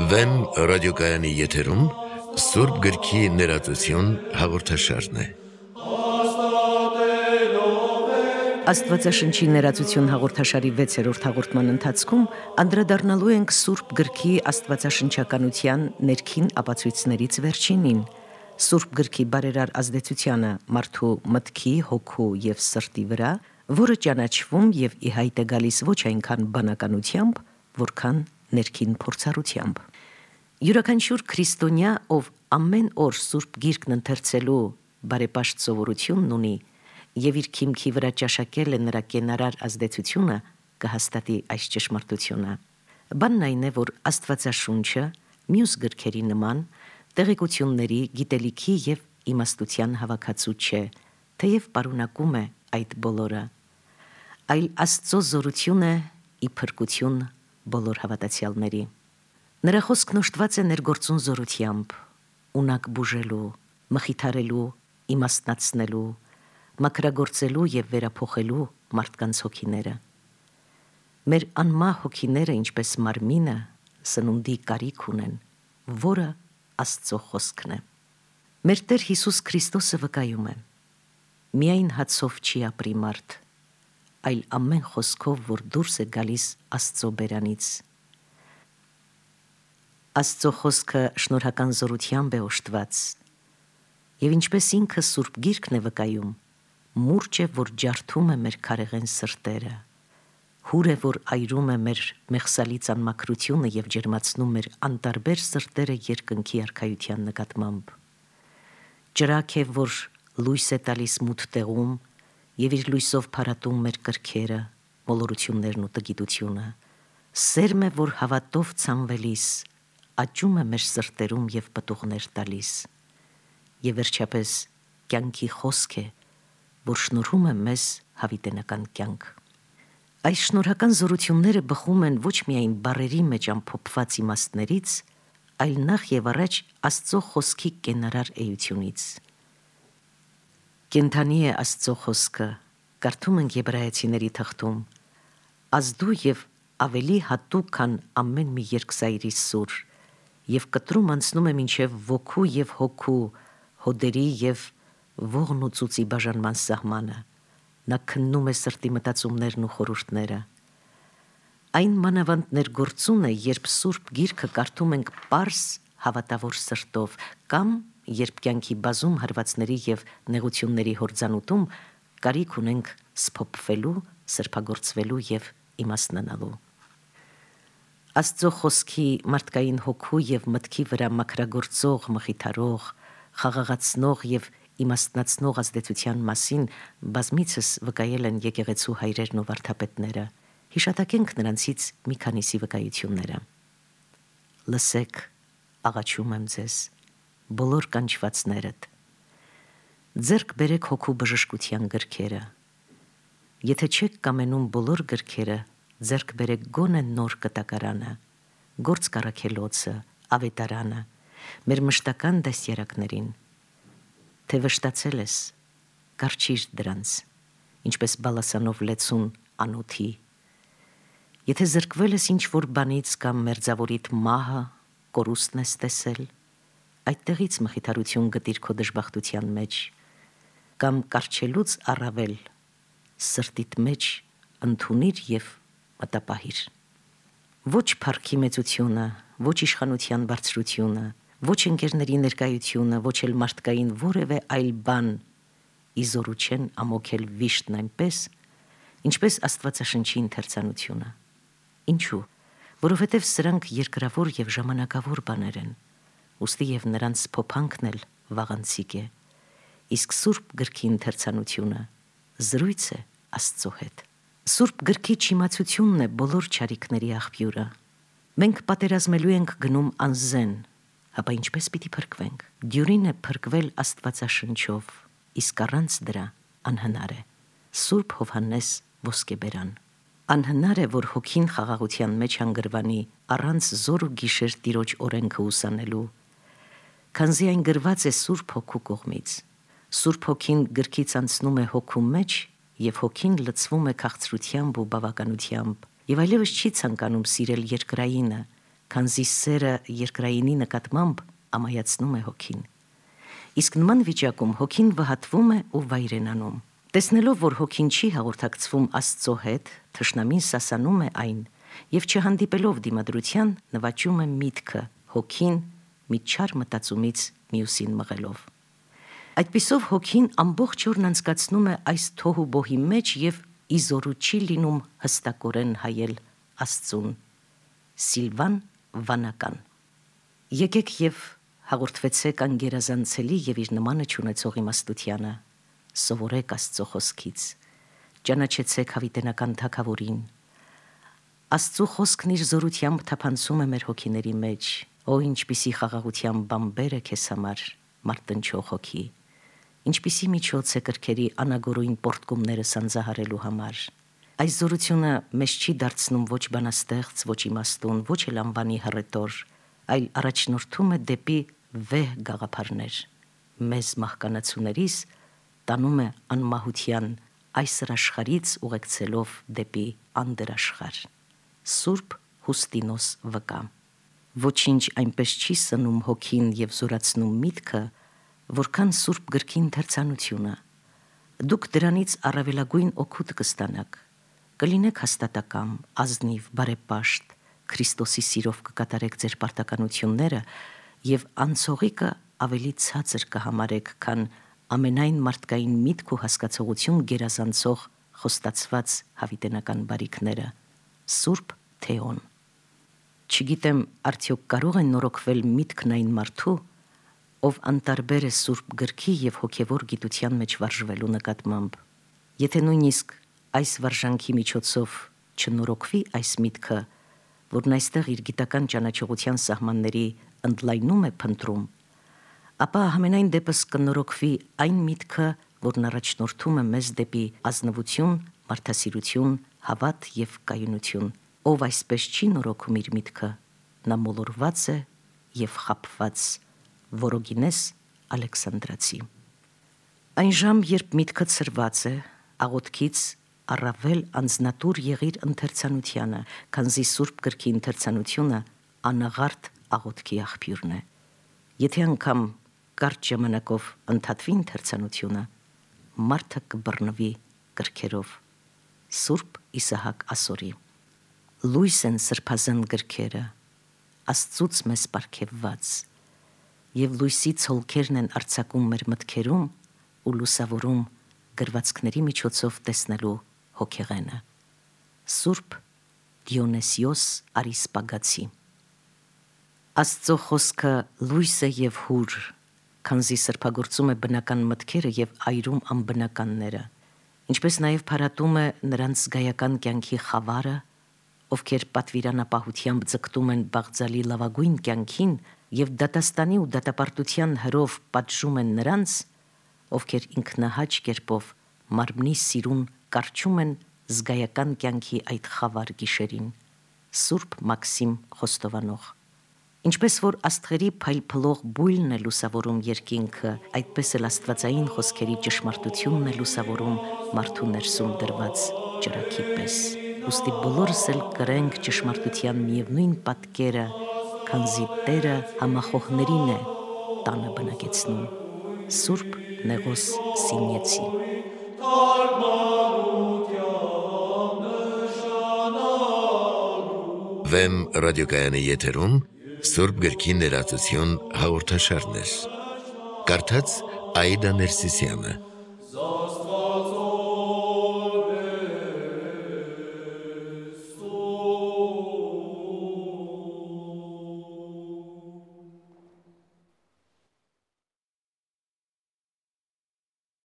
Վեմ ռադիոկայանի եթերում Սուրբ գրքի ներածություն հաղորդաշարն է։ Աստվածաշնչի ներածություն հաղորդաշարի 6-րդ հաղորդման ընթացքում անդրադառնալու ենք Սուրբ գրքի աստվածաշնչականության ներքին ապացույցներից վերջինին, Սուրբ գրքի բարերար ազդեցությանը մարդու մտքի, հոգու և սրտի վրա, որը ճանաչվում և ի հայտ է գալիս ոչ այնքան բանականությամբ, որքան ներքին փորձառությամբ։ Յուրաքանչյուր քրիստոնյա, ով ամեն օր Սուրբ Գիրքն ընթերցելու բարեպաշտ սովորությունն ունի և իր քիմքի վրա ճաշակել է նրա կենարար ազդեցությունը, կհաստատի այս ճշմարտությունը։ Բանն այն է, որ Աստվածաշունչը մյուս գրքերի նման տեղեկությունների, գիտելիքի և իմաստության հավաքածու չէ, թեև պարունակում է այդ բոլորը, այլ Աստծո զորություն է ի փրկություն բոլոր հավատացյալների։ Նրա խոսքն օժտված է ներգործուն զորությամբ, ունակ բուժելու, մխիթարելու, իմաստնացնելու, մաքրագործելու և վերափոխելու մարդկանց հոգիները։ Մեր անմահ հոգիները, ինչպես մարմինը, սնունդի կարիք ունեն, որը Աստծո խոսքն է։ Մեր Տեր Հիսուս Քրիստոսը վկայում է. միայն հացով չի ապրի մարդ, այլ ամեն խոսքով, որ դուրս է գալիս Աստծո բերանից։ Աստծո խոսքը շնորհական զորությամբ է օժտված, և ինչպես ինքը Սուրբ Գիրքն է վկայում, մուրճ է, որ ջարդում է մեր քարեղեն սրտերը, հուր է, որ այրում է մեր մեղսալից անմաքրությունը և ջերմացնում մեր անտարբեր սրտերը երկնքի արքայության նկատմամբ, ճրագ է, որ լույս է տալիս մութ տեղում և իր լույսով փարատում մեր կրքերը, մոլորություններն ու տգիտությունը, սերմ է, որ հավատով ցանվելիս աճում է մեր սրտերում և պտուղներ տալիս, և վերջապես կյանքի խոսք է, որ շնորհում է մեզ հավիտենական կյանք։ Այս շնորհական զորությունները բխում են ոչ միայն բառերի մեջ ամփոփված իմաստներից, այլ նախ և առաջ Աստծո խոսքի կենարար էությունից։ Կենդանի է Աստծո խոսքը, կարդում ենք Եբրայեցիների թղթում, ազդու և ավելի հատուկ, քան ամեն մի երկսայրի սուր, և կտրում անցնում է մինչև ոգու և հոգու, հոդերի և ողն ու ծուծի բաժանման սահմանը, նա քննում է սրտի մտածումներն ու խորհուրդները։ Այն մանավանդ ներգործուն է, երբ Սուրբ Գիրքը կարդում ենք պարզ հավատավոր սրտով, կամ երբ կյանքի բազում հարվածների և նեղությունների հորձանուտում կարիք ունենք սփոփվելու, սրբագործվելու և իմաստնանալու։ Աստծո խոսքի մարդկային հոգու և մտքի վրա մաքրագործող, մխիթարող, խաղաղացնող և իմաստնացնող ազդեցության մասին բազմիցս վկայել են եկեղեցու հայրերն ու վարդապետները։ Հիշատակենք նրանցից մի քանիսի վկայությունները։ Լսեք, աղաչում եմ ձեզ, բոլոր կանչվածներդ, ձեռք բերեք հոգու բժշկության գրքերը։ Եթե չեք կամենում բոլոր գրքերը, ձեռք բերեք գոնե նոր կտակարանը, գործ կառաքելոցը, ավետարանը, մեր մշտական դաստիարակներին։ Թե վշտացել ես, կառչիր դրանց, ինչպես բալասանով լեցուն անոթի։ Եթե զրկվել ես ինչ-որ բանից կամ մերձավորիդ մահը, կորուստն ես տեսել, այդտեղից մխիթարություն գտիր քո դժբախտության մեջ, կամ կառչելուց առավել սրտիդ մեջ ընդունիր և մտապահիր։ Ոչ փառքի մեծությունը, ոչ իշխանության բարձրությունը, ոչ ընկերների ներկայությունը, ոչ էլ մարդկային որևէ այլ բան իզորու չեն ամոքել վիշտն այնպես, ինչպես Աստվածաշնչի ընթերցանությունը։ Ինչու՞։ Որովհետև սրանք երկրավոր և ժամանակավոր բաներ են, ուստի և նրանց փոփանքն էլ վաղանցիկ է, իսկ Սուրբ գրքի ընթերցանությունը զրույց է Աստծո հետ։ Սուրբ գրքի չիմացությունն է բոլոր չարիքների աղբյուրը։ Մենք պատերազմելու ենք գնում անզեն, ապա ինչպես պիտի փրկվենք։ Դյուրին է փրկվել Աստվածաշնչով, իսկ առանց դրա անհնար է։ Սուրբ Հովհաննես Ոսկեբերան։ Անհնար է, որ հոգին խաղաղության մեջ հանգրվանի առանց զոր ու գիշեր Տիրոջ օրենքը ուսանելու, քանզի այն գրված է Սուրբ Հոգու կողմից։ Սուրբ Հոգին գրքից անցնում է հոգու մեջ եւ հոգին լցվում է քաղցրությամբ ու բավականությամբ, եւ այլևս չի ցանկանում սիրել երկրայինը, քանզի սերը երկրայինի նկատմամբ ամայացնում է հոգին։ Իսկ նման վիճակում հոգին վհատվում է ու վայրենանում։ Տեսնելով, որ հոգին չի հաղորդակցվում Աստծո հետ, թշնամին սասանում է այն եւ չհանդիպելով դիմադրության նվաճում է միտքը, հոգին մի չար մտածումից մյուսին մղելով։ Այդպիսով հոգին ամբողջ օրն անցկացնում է այս թոհուբոհի մեջ եւ իզորու չի լինում հստակորեն հայել Աստծուն։ Սիլվան Վանական։ Եկեք եւ հաղորդվեցեք անգերազանցելի եւ իր նմանը չունեցող իմաստությանը, սովորեք Աստծո խոսքից, ճանաչեցեք հավիտենական թագավորին։ Աստծո խոսքն իր զորությամբ թափանցում է մեր հոգիների մեջ, ինչպիսի խաղաղության բամբեր է քեզ համար, մարտնչող հոգի, ինչպիսի միջոց է կրքերի անագորույն պորտկումները սանձահարելու համար։ Այս զորությունը մեզ չի դարձնում ոչ բանաստեղծ, ոչ իմաստուն, ոչ էլ անվանի հռետոր, այլ առաջնորդում է դեպի վեհ գաղափարներ։ Մեզ մահկանացուներիս տանում է անմահության այս աշխարհից ուղեկցելով դեպի անդրաշխարհ։ Սուրբ Հուստինոս վկա։ Ոչինչ այնպես չի սնում հոգին եւ զորացնում միտքը, որքան Սուրբ գրքի ընթերցանությունը։ Դուք դրանից առավելագույն օգուտ կստանաք։ Կլինեք հաստատակամ, ազնիվ, բարեպաշտ, Քրիստոսի սիրով կկատարեք ձեր պարտականությունները եւ անցողիկը ավելի ցածր կհամարեք, քան ամենայն մարդկային միտք ու հասկացողություն գերազանցող խոստացված հավիտենական բարիքները։ Սուրբ Թեոն։ Չգիտեմ, արդյոք կարող է նորոգվել միտքն այն մարդու, ով անտարբեր է Սուրբ գրքի եւ հոգեվոր գիտության մեջ վարժվելու նկատմամբ։ Եթե նույնիսկ այս վարժանքի միջոցով չնորոգվի այս միտքը, որն այստեղ իր գիտական ճանաչողության սահմանների ընդլայնում է փնտրում, ապա համենայն դեպս կնորոգվի այն միտքը, որն առաջնորդում է մեզ դեպի ազնվություն, մարդասիրություն, հավատ եւ կայունություն։ Ով այսպես չի նորոգում իր միտքը, նա մոլորված է եւ խաբված։ Որոգինես Ալեքսանդրացի։ Այն ժամ, երբ միտքը ցրված է, աղոթքից առավել անձնատուր եղիր ընթերցանությանը, քանզի Սուրբ գրքի ընթերցանությունը անաղարտ աղոթքի աղբյուրն է։ Եթե անգամ կարճ ժամանակով ընդհատվի ընթերցանությունը, մարդը կբռնվի գրքերով։ Սուրբ Իսահակ Ասորի։ Լույս են սրբազան գրքերը, Աստծուց մեզ պարգևված, եւ լույսի ցոլքերն են արձակում մեր մտքերում ու լուսավորում գրվածքների միջոցով տեսնելու հոգեղենը։ Սուրբ Դիոնեսիոս Արիսպագացի։ Աստծո խոսքը լույս է եւ հուր, քանզի սրբագործում է բնական մտքերը եւ այրում անբնականները, ինչպես նաեւ փարատում է նրանց զգայական կյանքի խավարը, ովքեր պատվիրանապահությամբ ձգտում են բաղձալի լավագույն կյանքին եւ դատաստանի ու դատապարտության հրով պատժում են նրանց, ովքեր ինքնահաճ կերպով մարմնի սիրուն կարճում են զգայական կյանքի այդ խավար գիշերին։ Սուրբ Մաքսիմ Խոստովանող։ Ինչպես որ աստղերի փայլփլող բույլն է լուսավորում երկինքը, այդպես էլ աստվածային խոսքերի ճշմարտությունն է լուսավորում մարդու ներսում դրված ճրագի պես։ Ուստի բոլորս էլ կրենք ճշմարտության միևնույն պատկերը, քանզի Տերը համախոհներին է տանը բնակեցնում։ Սուրբ Նեղոս Սինյեցի։ Վեմ ռադիոկայանի եթերում Սուրբ գրքի ներածություն հաղորդաշարներ։ Կարդաց Աիդա Ներսիսյանը։